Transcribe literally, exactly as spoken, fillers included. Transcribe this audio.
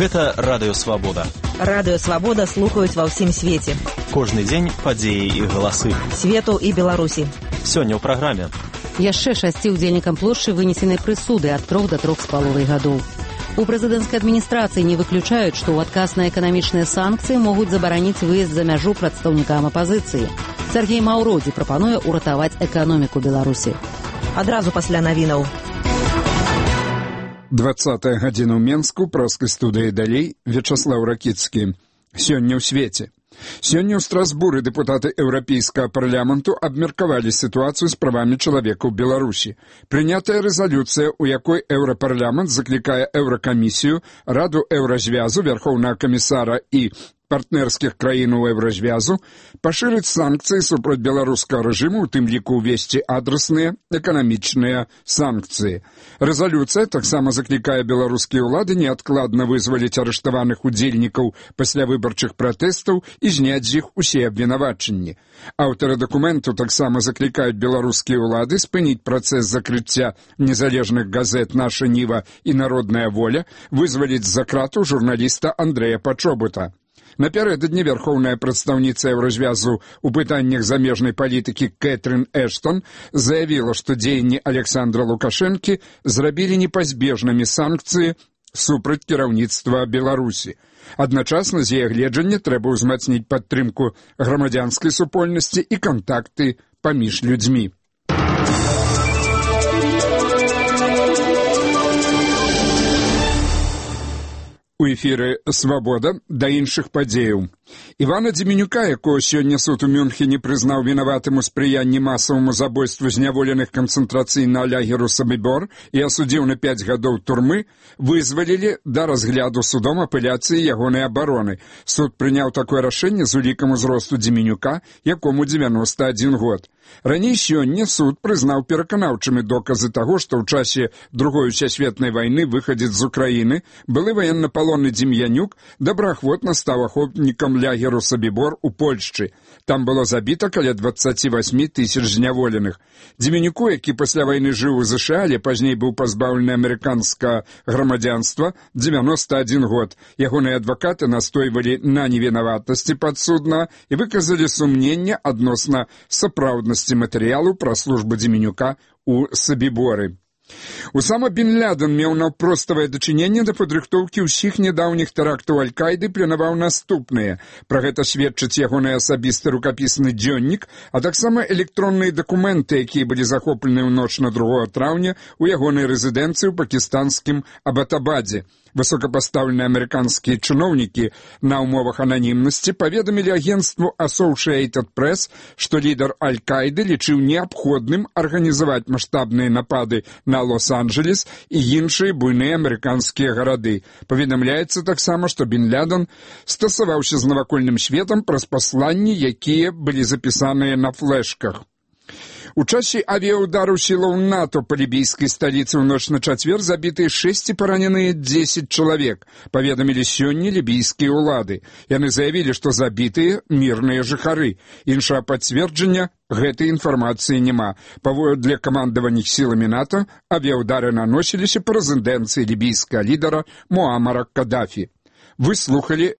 Гэта Радыё Свабода. Радыё Свабода слухаюць ва ўсім свеце. Кожны дзень падзеі і галасы. Свету і Беларусі. Сёння ў праграме. Яшчэ шасці ўдзельнікам плошчы вынесенай прысуды ад трох да трох з паловай гадоў. У прэзідэнцкай адміністрацыі не выключаюць, што ў адказ на эканамічныя санкцыі могуць забараніць выезд за мяжу прадстаўнікам апазіцыі. Сергей Маўродзі прапануе ўратаваць эканоміку Беларусі. Адразу пасля навінаў. двадцатая гадзіна ў Менску, праскай студыі далей, Вячаслаў Ракіцкі. Сёння ў свеце. Сёння ў Страсбуры дэпутаты Еўрапейскага парламенту абмеркавалі сітуацыю з правамі чалавека ў Беларусі. Прынятая рэзалюцыя, у якой Еўрапарламент заклікае Еўракамісію, Раду Еўразвязу, Вярхоўнага камісара і партнерскіх краін у Еўразвязу пашырыць санкцыі супраць беларускага рэжыму, у тым ліку ўвесці адрасныя эканамічныя санкцыі. Рэзалюцыя таксама заклікае беларускія ўлады неадкладна вызваліць арыштаваных удзельнікаў паслявыбарчых пратэстаў і зняць з іх усе абвінавачанні. Аўтары дакументу таксама заклікаюць беларускія ўлады спыніць працэс закрыцця незалежных газет «Наша Ніва» і «Народная воля», вызваліць з-за крату журналіста Андрэя Пачобута. Напярэдадні вярхоўная прадстаўніца Еўразвязу ў пытаннях замежнай палітыкі Кэтрын Эштон заявіла, што дзеянні Александра Лукашэнкі зрабілі непазбежнымі санкцыі супраць кіраўніцтва Беларусі. Адначасна з яе гледжання трэба ўзмацніць падтрымку грамадзянскай супольнасці і кантакты паміж людзьмі. У эфіры «Свабода» да іншых падзеяў. Івана Дземенюка, якого сёння суд у Мюнхене прызнаў вінаватым у спрыянні масаваму забойству зняволеных канцэнтрацыйнага лагеру Сабібор і асудзіў на пяць гадоў турмы, вызвалілі да разгляду судом апеляцыі ягонай абароны. Суд прыняў такое рашэнне з улікам узросту Дземенюка, якому дзевяноста адзін год. Раней сёння суд прызнаў пераканаўчымі доказы таго, што ў часе Другой сусветнай вайны выхадзец з Украіны, былы ваеннапалонны Дзем'янюк, добраахвотна стаў ахопнікам лагеру Сабібор у Польшчы. Там было забіта каля дваццаць восем тысяч зняволеных. Дземенюку, які пасля вайны жыў у ЗША, але пазней быў пазбаўлены амерыканскага грамадзянства, дзевяноста адзін год. Ягоныя адвакаты настойвалі на невінаватасці падсуднага і выказалі сумненне адносна сапраўднасці матэрыялу пра службу Дземенюка ў Сабіборы. Усама Бін Лядэн меў наўпроставае дачыненне да падрыхтоўкі ўсіх нядаўніх тэрактаў Аль-Кайды, планаваў наступныя. Пра гэта сведчыць ягоны асабісты рукапісны дзённік, а таксама электронныя дакументы, якія былі захоплены ў ноч на другога траўня ў ягонай рэзідэнцыі ў пакістанскім Абатабадзе. Высокапастаўленыя амерыканскія чыноўнікі на ўмовах ананімнасці паведамілі агенцтву Associated Press, што лідар Аль-Кайды лічыў неабходным арганізаваць маштабныя напады на Лос-Анджелес і іншыя буйныя амерыканскія гарады. Паведамляецца таксама, што Бін Лядэн стасаваўся з навакольным светам праз пасланні, якія былі запісаныя на флешках. У часе авіаудару сілаў НАТО па лібійскай сталіцы ў ноч на чацвер забітыя шэсць і параненыя дзесяць чалавек, паведамілі сёння лібійскія ўлады. Яны заявілі, што забітыя мірныя жыхары. Іншага пацверджання гэтай інфармацыі няма. Паводле камандавання сіламі НАТО, авіаудары наносіліся па рэзідэнцыі лібійскага лідара Муамара Кадафі. Вы слухалі